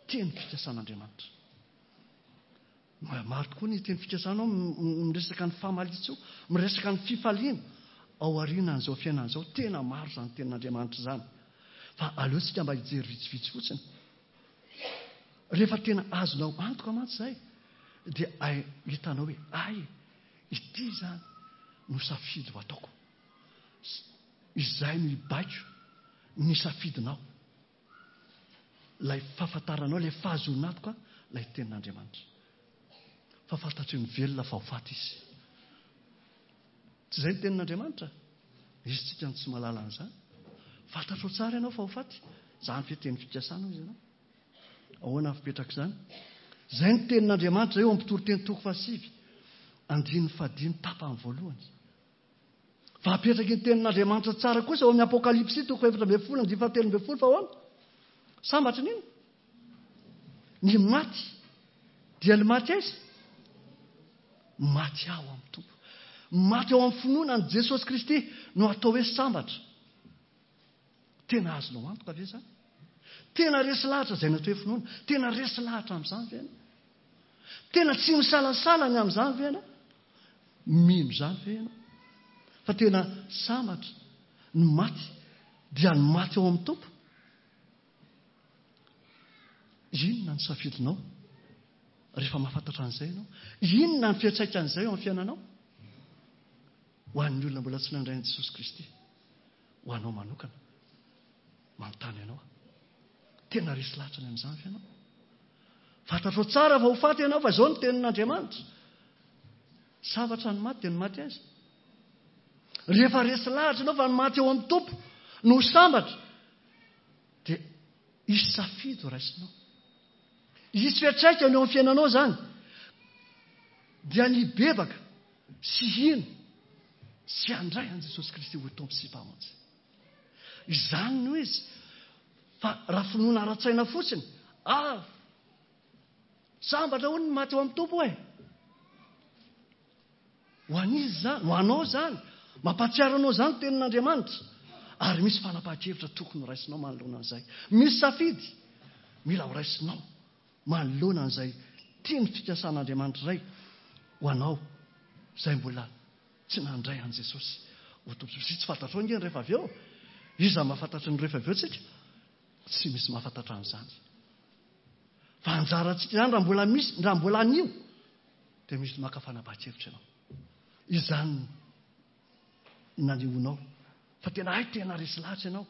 teny fikasan'Andriamanitra. Maro tokoa ny teny fikasana ao miresaka ny famalian-tsoa, miresaka ny fifaliana ao aorianan'izao fiainana izao. Tena maro izany tenin'Andriamanitra izany. Fa aleontsika mba hijery vitsivitsy fotsiny. Rehefa tena azonao antoka mantsy izay, dia hitanao hoe ay, ity izany no safidy ho ataoko. Izay no hibaiko ny safidinao. Ilay fahafantaranao, ilay fahazoana antoka, ilay tenin'Andriamanitra. Fa fantatry ny velona fa ho faty izy. Tsy izay ny tenin'Andriamanitra? Izy tsika no tsy mahalala an'izany. Fantatrao tsara ianao fa ho faty. Izany ve teny fikasana izy ianao? Ahoana ny fipetraka izany? Izay ny tenin'Andriamanitra eo amin'ny mpitoriteny toko fahasivy, andininy fahadimy tapany voalohany. Fa apetraky ny tenin'Andriamanitra tsara kosa ao amin'ny Apokalypsy toko efatra ambin'ny folo andininy fahatelo ambin'ny folo fa ahoana? Sambatra n'inona? Ny maty dia ny maty aiza? Maty ao amin'ny Tompo. Maty ao amin'ny finoana an'i Jesosy Kristy no atao hoe sambatra. Tena azonao antoka ve izany? Tena resy lahatra izay natao hoe finoana. Tena resy lahatra amin'izany ve ianao? Tena tsy misalasala ny amin'izany ve ianao? Mino izany ve ianao? Fa tena sambatra ny maty dia ny maty ao amin'ny Tompo. Inona ny safidinao rehefa mahafantatra an'izay ianao? Inona ny fiantraikan'izay eo amin'ny fiainanao? Ho an'ny olona mbola tsy nandray an'i Jesosy Kristy, ho anao manokana, manontany ianao. Tena resy lahatra ny amin'izany ve ianao? Fantatrao tsara fa ho faty ianao, fa izao ny tenin'Andriamanitra. Sambatra ny maty dia ny maty aiza? Rehefa resy lahatra ianao fa ny maty eo amin'ny Tompo no sambatra, dia hisy safidy ho raisinao. Hisy fiantraikany eo amin'ny fiainanao izany. Dia ny hibebaka sy hino sy handray an'i Jesosy Kristy ho Tompo sy Mpamonjy. Izany no izy. Fa raha finoana ara-tsaina fotsiny, ah, sambatra hono ny maty eo amin'ny Tompo e. Ho an'iza izany? Ho anao izany. Mampahatsiaro anao izany tenin'Andriamanitra. Ary misy fanapahan-kevitra tokony ho raisinao manoloana an'izay. Misy safidy mila ho raisinao manoloana an'izay tiany fikasan'Andriamanitra iray ho anao izay mbola tsy nandray an'i Jesosy ho Tompo. Sy tsy fantatrao ange ny rehefa avy eo. Iza mahafantatra ny rehefa avy eo tsika? Tsy misy mahafantatra an'izany. Fa anjarantsika izany raha mbola misy, raha mbola anio, dia misy maka fanapahan-kevitra ianao. Izany nanehoanao fa tena hay tena resy lahatra ianao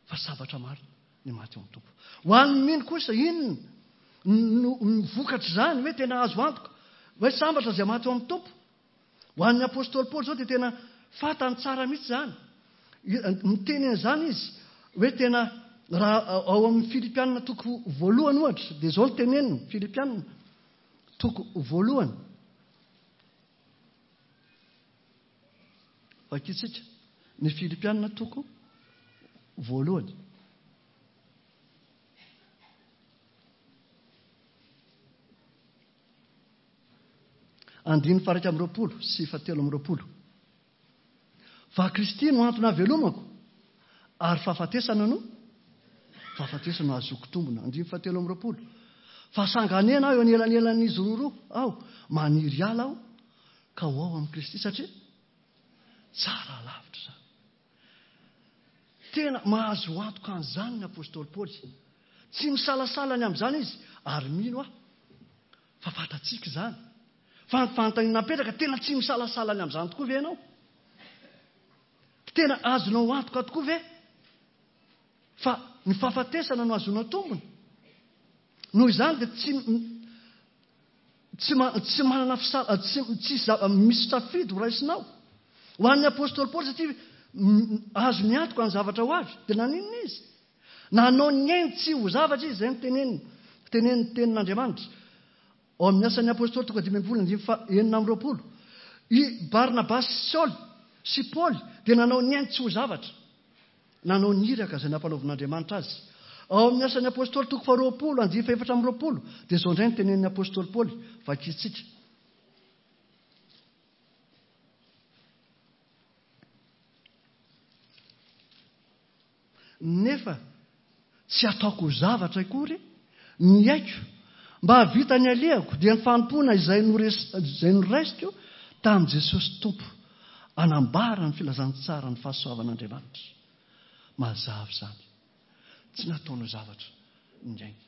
fa sabatra maro ny maty eo amin'ny Tompo. Ho an'ny mino kosa inona no vokatra izany hoe tena azo antoka hoe sambatra izay maty eo amin'ny Tompo. Ho an'ny apostoly Paoly izao dia tena fantany tsara mihitsy izany. Miteny an'izany izy hoe tena raha ao amin'ny Filipianina toko voalohany ohatra dia izao no teneniny, Filipianina toko voalohany. Vakitsika ny Filipianina toko voalohany. Andininy faha-iraika amby roapolo sy fahatelo amby roapolo. Fa Kristy no antony havelomako ary fahafatesana no fahafatesana no ahazoako tombona. Andininy fahatelo amby roapolo. Fa sanganena aho eo anelanelan'izy roa roa aho, maniry hiala aho ka ho ao amin'i Kristy satria tsara lavitra izany. Tena mahazo antoka an'izany ny apostoly Paoly. Tsy misalasala ny amin'izany izy ary mino aho fa fantatsika izany. Fa ny fanontaniana napetraka, tena tsy misalasala ny amin'izany tokoa ve ianao? Tena azonao antoka tokoa ve fa ny fahafatesana no azonao tombony? Noho izany dia tsy tsy tsy manana fisala, tsy tsy misy safidy ho raisinao. Ho an'ny apostoly Paoly satria azo miantoka ny zavatra ho avy, dia naninona izy? Nanao ny ainy tsy ho zavatra izy, izay no teneniny, teneniny tenin'Andriamanitra. Ao amin'ny asan'ny apostoly toko dimy ambin'ny folo andininy faha enina amby roapolo, i Barnabasy sy Saoly sy Paoly dia nanao ny ainy tsy ho zavatra. Nanao ny iraka izay nampanaovin'Andriamanitra azy. Ao amin'ny asan'ny apostoly toko faharoapolo andininy fahaefatra amby roapolo dia izao indray ny tenenin'ny apostoly Paoly, vakitsika. Nefa tsy ataoko ho zavatra akory ny aiko mba hahavita ny alehako dia ny fanompoana izay izay noraisiko tamin'i Jesosy Tompo hanambara ny filazantsara ny fahasoavan'Andriamanitra. Mazava izany. Tsy nataony ho zavatra ny ainy.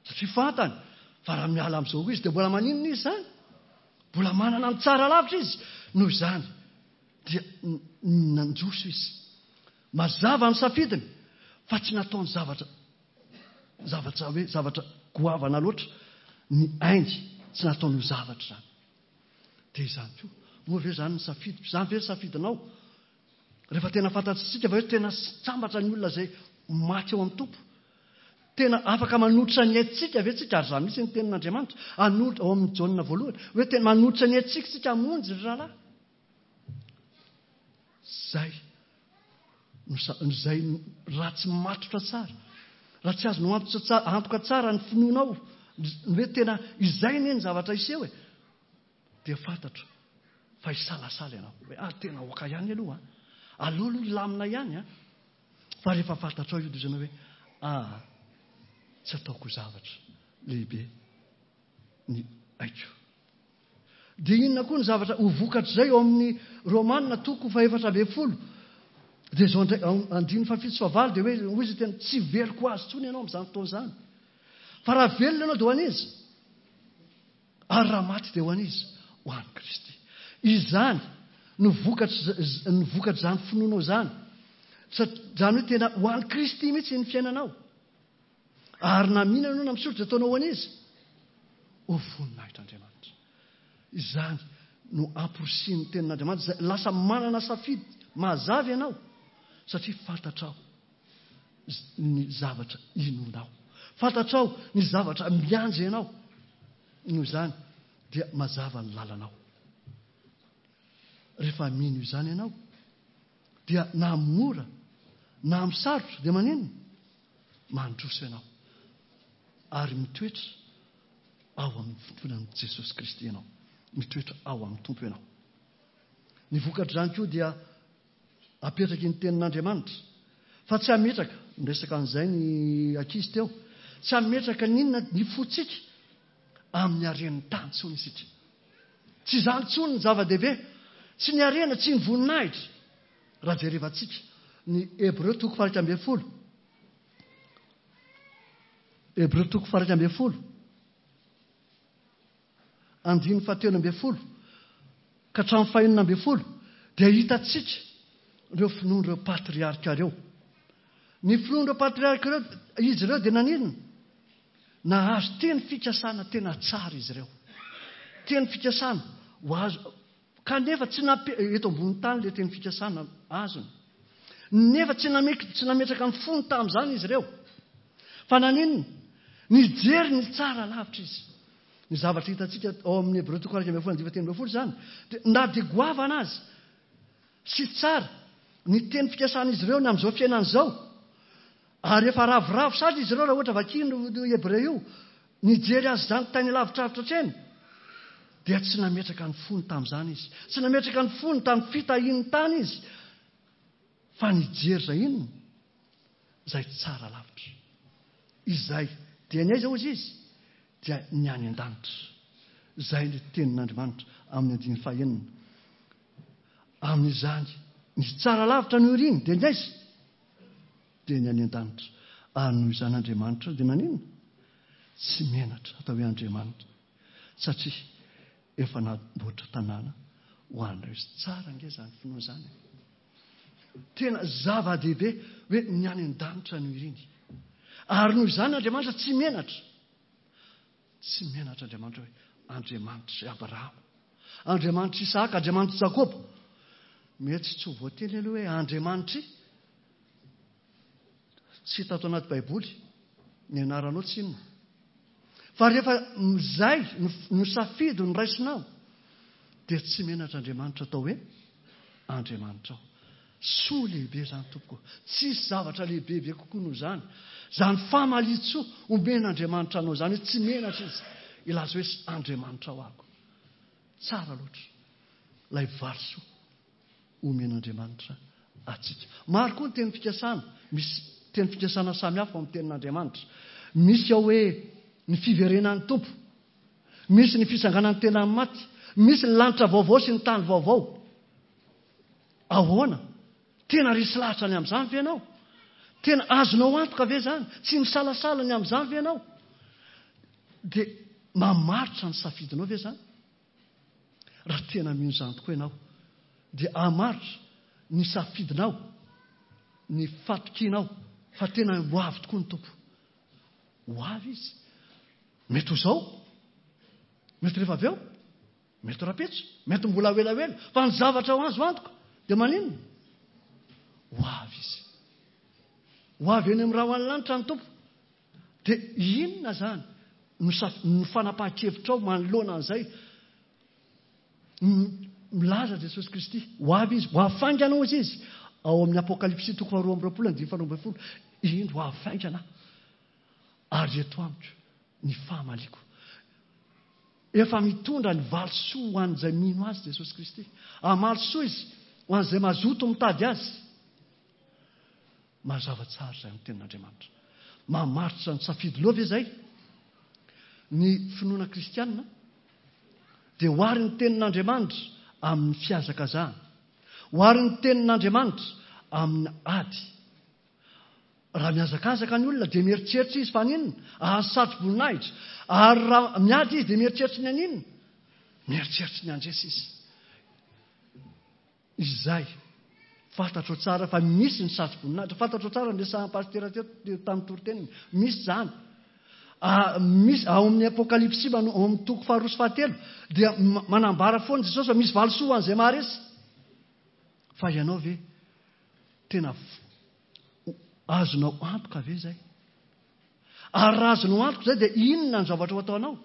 Satria fantany fa raha miala amin'izao izy dia mbola maninona izy izany? Mbola manana ny tsara lavitra izy. Noho izany dia nandroso izy. Mazava ny safidiny fa tsy nataony zavatra zavatra hoe zavatra goavana loatra ny ainy, tsy nataony ho zavatra izany. Dia izany koa, moa ve izany ny safidy? Izany ve ny safidinao? Rehefa tena fantatsika fa hoe tena sambatra ny olona izay maty eo amin'ny Tompo. Tena afaka manolotra ny aintsika ve tsika? Ary izany mihitsy ny tenin'Andriamanitra. Hanolotra ao amin'ny Jaona voalohany hoe tena manolotra ny aintsika tsika hamonjy ry rahalahy. Izay izay raha tsy matotra tsara, raha tsy azonao antoka tsara ny finoanao, ny hoe tena izay anie ny zavatra hiseho e, dia fantatro fa hisalasala ianao hoe ah tena oka ihany aloha, aleo aloha hilamina ihany a. Fa rehefa fantatrao io dia ianao hoe ah tsy ataoko zavatra lehibe ny aiko. Dia inona koa ny zavatra ho vokatr'izay ao amin'ny Romanina toko fahefatra ambin'ny folo? Dia izao indray, andininy fahafito sy fahavalo dia hoe hoy izy tena tsy veloko azy intsony ianao amin'izany fotoana izany. Fa raha velona ianao dia ho an'iza? Ary raha maty dia ho an'iza? Ho an'i Kristy. Izany no vokatr', ny vokatr'izany finoanao izany. Izany hoe tena ho an'i Kristy mihitsy ny fiainanao. Ary na mihinana ianao na misotro dia ataonao ho an'iza? Ho voninahitr'Andriamanitra. Izany no amporisihin'ny tenin'Andriamanitra. Izay lasa manana safidy mazava ianao satria fantatrao ny zavatra inoanao. Fantatrao ny zavatra miandry ianao. Noho izany dia mazava ny lalanao. Rehefa mino izany ianao dia na mora na amin'ny sarotra dia maninona? Mandroso ianao ary mitoetra ao amin'ny finoan'i Jesosy Kristy ianao. Mitoetra ao amin'ny Tompo ianao. Ny vokatr'izany koa dia Apetraky ny tenin'Andriamanitra. Fa tsy hametraka, niresaka an'izay ny ankizy teo, tsy hametraka n'inona ny fontsika amin'ny haren'ny tany intsony isika. Tsy izany intsony ny zava-dehibe, tsy ny harena, tsy ny voninahitra. Raha jerevantsika ny Hebreo toko faha iraika ambin'ny folo. Hebreo toko faha iraika ambin'ny folo. Andininy fahatelo ambin'ny folo ka hatramin'ny fahenina ambin'ny folo dia hitantsika ireo finoan'ireo patriarka ireo. Ny finoan'ireo patriarka ireo, izy ireo dia naninona? Nahazo teny fikasana tena tsara izy ireo. Teny fikasana ho azo, kanefa tsy nampe-, eto ambony tany ilay teny fikasana azony. Nefa tsy name-, tsy nametraka ny fony tamin'izany izy ireo. Fa naninona? Nijery ny tsara lavitra izy. Ny zavatra hitantsika ao amin'ny Hebreo toko iraika ambin'ny folo andininy fahatelo ambin'ny folo izany, dia na dia goavana azy sy tsara ny teny fikasan'izy ireo ny amin'izao fiainana izao, ary efa ravoravo sady izy ireo raha ohatra vakiana io Hebreo io, nijery azy izany tany lavitravitra hatreny, dia tsy nametraka ny fony tamin'izany izy. Tsy nametraka ny fony tamin'ny fitahian'ny tany izy, fa nijery izay inona? Izay tsara lavitra. Izay dia ny aiza hozy izy? Dia ny any an-danitra. Izay ny tenin'Andriamanitra amin'ny andininy fahenina. Amin'izany, ny tsara lavitra no iriny, dia ny aiza? Dia ny any an-danitra. Ary noho izany Andriamanitra dia naninona? Tsy menatra atao hoe Andriamanitra, satria efa namboatra tanàna ho an'ireo izy. Tsara ange izany finoana izany. Tena zava-dehibe hoe ny any an-danitra no iriny. Ary noho izany Andriamanitra tsy menatra. Tsy menatra Andriamanitra hoe Andriamanitra Abrahama, Andriamanitra Isaka, Andriamanitra Jakoba. Mety tsy ho voateny aloha hoe Andriamanitra. Tsy hita ato anaty Baiboly ny anaranao tsy inona. Fa rehefa izay no safidy no raisinao, dia tsy menatra Andriamanitra atao hoe Andriamanitra ao. Soa lehibe izany tompoko. Tsisy zavatra lehibebe kokoa noho izany. Izany famalian-tsoa omen'Andriamanitra anao izany hoe tsy menatra izy hilaza hoe Andriamanitra ao ako. Tsara loatra ilay valisoa omen'Andriamanitra antsika. Maro koa ny teny fikasana. Misy teny fikasana samihafa ao amin'ny tenin'Andriamanitra. Misy ao hoe ny fiverenan'ny Tompo, misy ny fitsanganan'ny tena amin'ny maty, misy ny lanitra vaovao sy ny tany vaovao. Ahoana? Tena resy lahatra ny amin'izany ve ianao? Tena azonao antoka ve izany? Tsy misalasala ny amin'izany ve ianao? Dia mamaritra ny safidinao ve izany? Raha tena mino izany tokoa ianao, dia hamaritra ny safidinao, ny fatokianao fa tena ho avy tokoa ny Tompo. Ho avy izy. Mety ho izao, mety rehefa avy eo, mety rahampitso, mety mbola ho elaela, fa ny zavatra ho azo antoka dia maninona? Ho avy izy. Ho avy eny amin'ny rahona lanitra ny Tompo. Dia inona izany no saf-, no fanapahan-kevitrao manoloana an'izay? M-, milaza Jesosy Kristy, ho avy izy, ho avy faingana hozy izy. Ao amin'ny Apokalypsy toko faharoa amby roapolo andininy faharoa ambin'ny folo, indro ho avy faingana ary eto amiko ny fahamaliko. Efa mitondra ny valisoa ho an'izay mino azy Jesosy Kristy. Hamaly soa izy ho an'izay mazoto mitady azy. Mazava tsara izay amin'ny tenin'Andriamanitra. Mamaritra ny safidy loha ve izay? Ny finoana kristianina dia oharin'ny ny tenin'Andriamanitra amin'ny fihazakazahana. Oharin'ny ny tenin'Andriamanitra amin'ny ady. Raha mihazakazaka ny olona dia mieritreritra izy fa haninona? Ahazo satro-boninahitra. Ary raha miady izy dia mieritreritra ny haninona? Mieritreritra ny handresy izy. Izay fantatro tsara fa misy ny satro-boninahitra. Fantatro tsara ny resahan'ny pasitera teo tamin'ny toriteniny. Misy izany. Ah, misy ao amin'ny Apokalypsy, mano-, ao amin'ny toko faharoa sy fahatelo dia ma-, manambara foana Jesosy fa misy valisoa ho an'izay maharesy. Fa ianao ve tena f-, azonao antoka ve izay? Ary raha azonao antoka izay dia inona ny zavatra ho ataonao?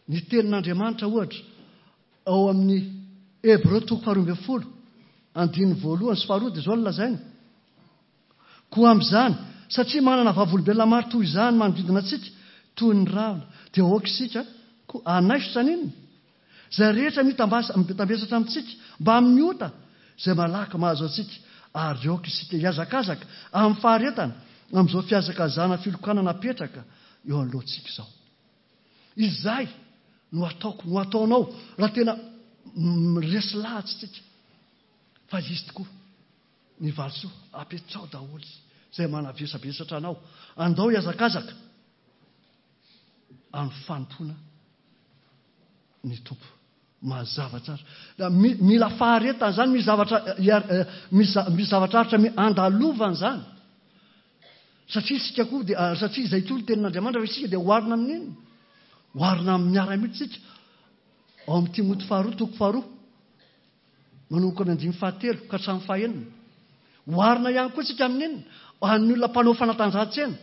Ny tenin'Andriamanitra ohatra ao amin'ny Hebreo toko faharoa ambin'ny folo andininy voalohany sy faharoa dia izao no lazainy. Koa amin'izany, satria manana vavolombelona maro toy izany manodidina antsika, toy ny rahona, dia aoka isika koa hanaisotra an'inona? Izay rehetra mitambasa-, mitambesatra amintsika mba amin'ny ota izay malaky mahazo antsika, ary aoka isika hihazakazaka amin'ny faharetana amin'izao fihazakazana filokana napetraka eo anoloantsika izao. Izay no ataoko, no ataonao, raha tena resy lahatsy tsika fa izy tokoa ny valisoa. Apetrao daholo izay manavesabesatra anao. Andao hihazakazaka amin'ny fanompoana ny Tompo. Mazava tsara. Mila faharetana izany, misy zavatra misy zavatra aritra andalovana izany. Satria isika koa dia, satria izay koa ny tenin'Andriamanitra, fa isika dia oharina amin'inona? Oharina amin'ny miaramila isika. Ao amin'ny Timoty faharoa, toko faharoa, manomboka amin'ny andininy fahatelo ka hatramin'ny fahenina. Oharina ihany koa isika amin'inona? Amin'ny olona mpanao fanatanjahantena,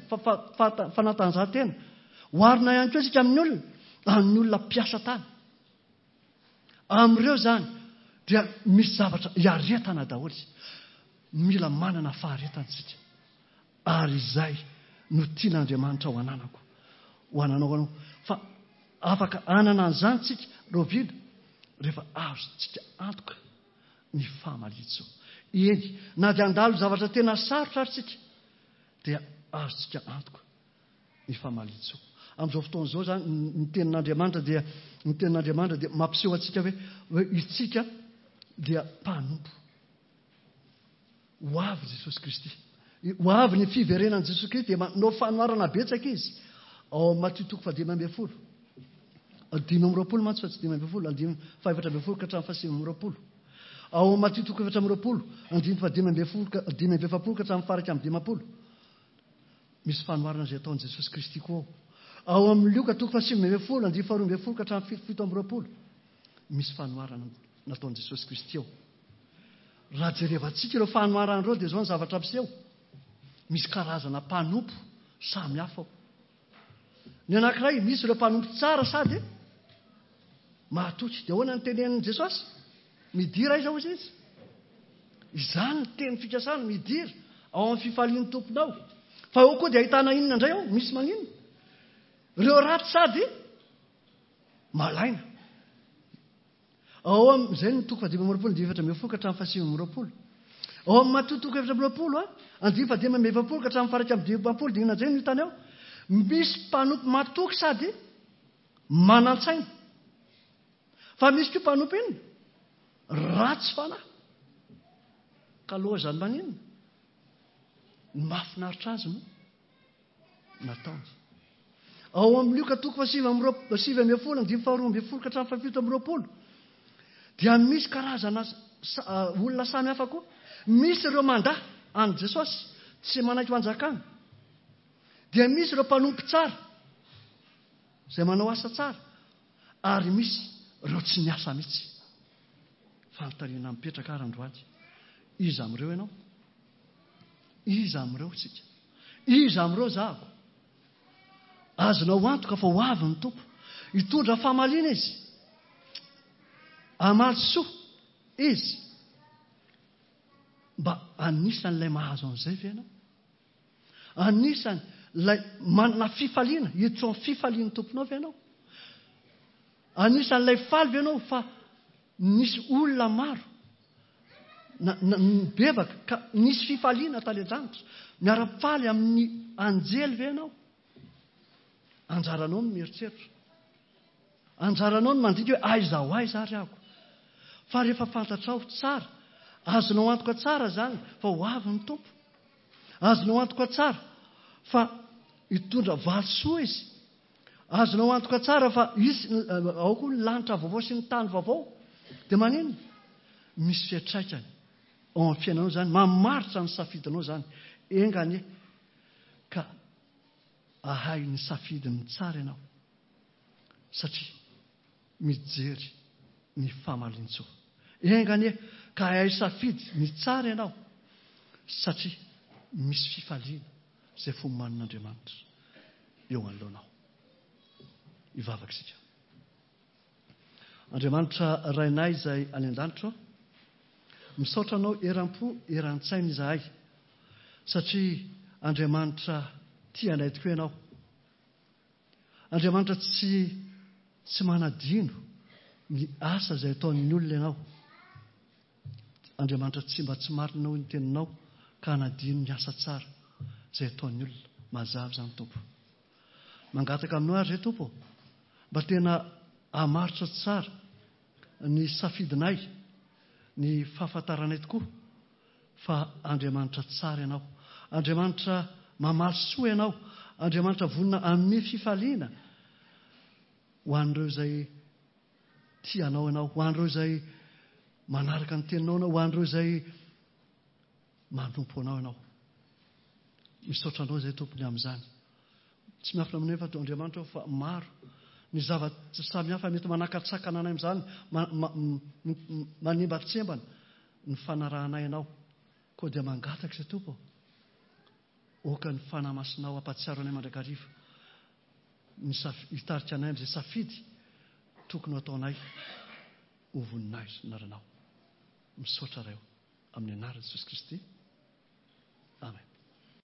fanatanjahantena. Oharina ihany koa isika amin'ny olona, amin'ny olona mpiasa tany. Amin'ireo izany dia misy zavatra iaretana daholo. Mila manana faharetana isika. Ary izay no tian'Andriamanitra ho ananako, ho ananao anao. Fa afaka anana an'izany tsika rahoviana? Rehefa azontsika antoka ny famalian-tsoa. Eny, na dia handalo zavatra tena sarotra ary tsika, dia azontsika antoka ny famalian-tsoa. Amin'izao fotoana izao izany, ny tenin'Andriamanitra dia, ny tenin'Andriamanitra dia mampiseho antsika hoe, hoe isika dia mpanompo. Ho avy Jesosy Kristy. Ho avy ny fiverenan'i Jesosy Kristy, dia manao fanoharana betsaka izy. Ao amin'ny Matio toko fahadimy ambin'ny folo. Dimy amby roapolo mantsy fa tsy dimy ambin'ny folo, andininy fahaefatra ambin'ny folo ka hatramin'ny fahasivy amby roapolo. Ao amin'ny Matio toko efatra amby roapolo, andininy fahadimy ambin'ny folo ka, dimy amby efapolo ka hatramin'ny faha-iraika amby dimampolo. Misy fanoharana izay ataon'i Jesosy Kristy koa ao. Ao amin'ny Lioka toko fahasivy ambin'ny folo, andininy faharoa ambin'ny folo ka hatramin'ny fito amby roapolo. Misy fanoharana nataon'i Jesosy Kristy ao. Raha jerevantsika ireo fanoharana ireo dia izao ny zavatra miseho. Misy karazana mpanompo samy hafa ao. Ny anankiray, misy ireo mpanompo tsara sady mahatoky. Dia ahoana ny tenenin'i Jesosy? Midira aiza hoy izy? Izany ny teny fikasana, midira ao amin'ny fifalian'ny tomponao. Fa eo koa dia ahitana inona indray ao? Misy maninona? Ireo ratsy sady malaina. Ao amin'izay ny toko fahadimy amby roapolo, andininy efatra ambin'ny folo ka hatramin'ny fahasivy amby roapolo. Ao amin'ny Matio toko efatra amby roapolo, andininy fahadimy amby efapolo ka hatramin'ny faha-iraika amby dimampolo, dia inona indray no hitany ao? Misy mpanompo matoky sady manan-tsaina. Fa misy koa mpanompo inona? Ratsy fanahy. Ka loza ny maninona? Ny mahafinaritra azy no nataony. Ao amin'ny Lioka toko fahasivy amby roa, sivy ambin'ny folo, andininy faharoa ambin'ny folo ka hatramin'ny fahafito amby roapolo, dia misy karazana sa-, olona samy hafa koa. Misy ireo mandà an'i Jesosy, tsy manaiky fanjakana. Dia misy ireo mpanompo tsara, izay manao asa tsara, ary misy ireo tsy miasa mihitsy. Fanontaniana mipetraka ary androany, iza amin'ireo ianao? Iza amin'ireo isika? Iza amin'ireo zahako? Azonao antoka fa ho avy ny Tompo. Hitondra famaliana izy. Hamaly soa izy. Mba anisan'ilay mahazo an'izay ve ianao? Anisan'ilay manana fifaliana, hiditra ao amin'ny fifalian'ny Tomponao ve ianao? Anisan'ilay faly ve ianao fa nisy olona maro na, na, nibebaka ka nisy fifaliana tany an-danitra? Miara-faly amin'ny anjely ve ianao? Anjaranao ny mieritreritra. Anjaranao ny mandinika hoe aiza ho aiza ary aho. Fa rehefa fantatrao tsara, azonao antoka tsara izany fa ho avy ny Tompo. Azonao antoka tsara fa hitondra valisoa izy. Azonao antoka tsara fa hisy, ao koa ny lanitra vaovao sy ny tany vaovao. Dia maninona? Misy fiantraikany ao amin'ny fiainanao izany, mamaritra ny safidinao izany. Enga anie ka ahay ny safidiny tsara ianao, satria mijery ny famalintsoa. Enga anie ka ahay safidy ny tsara ianao, satria misy fifaliana izay fomanin'Andriamanitra eo anoloanao. Hivavaka isika. Andriamanitra Rainay izay any an-danitra, misaotra anao eram-po eran-tsaina izahay, satria Andriamanitra tia anay tokoa ianao. Andriamanitra tsy, tsy manadino ny asa izay ataon'ny olona ianao. Andriamanitra tsy mba tsy marina, hoy ny teninao, ka hanadino ny asa tsara izay ataon'ny olona. Mazava izany, Tompo. Mangataka aminao ary izay, Tompo, mba tena hamaritra tsara ny safidinay, ny fahafantaranay tokoa fa Andriamanitra tsara ianao, Andriamanitra mamaly soa ianao, Andriamanitra vonona hanome fifaliana ho an'ireo izay tia anao ianao, ho an'ireo izay manaraka ny teninao ianao, ho an'ireo izay manompo anao ianao. Misaotra anao izay, Tompony, amin'izany. Tsy miafina aminay fa Andriamanitra fa maro ny zavatra samihafa mety manakatsakana anay amin'izany, manembatsembana ny fanarahanay anao. Koa dia mangataka izay, Tompo, aoka ny Fanahy Masinao hampahatsiaro anay mandrakariva ny hitarika anay amin'izay safidy tokony ho ataonay ho voninahitra anaranao. Misaotra Ray, amin'ny anaran'i Jesosy Kristy.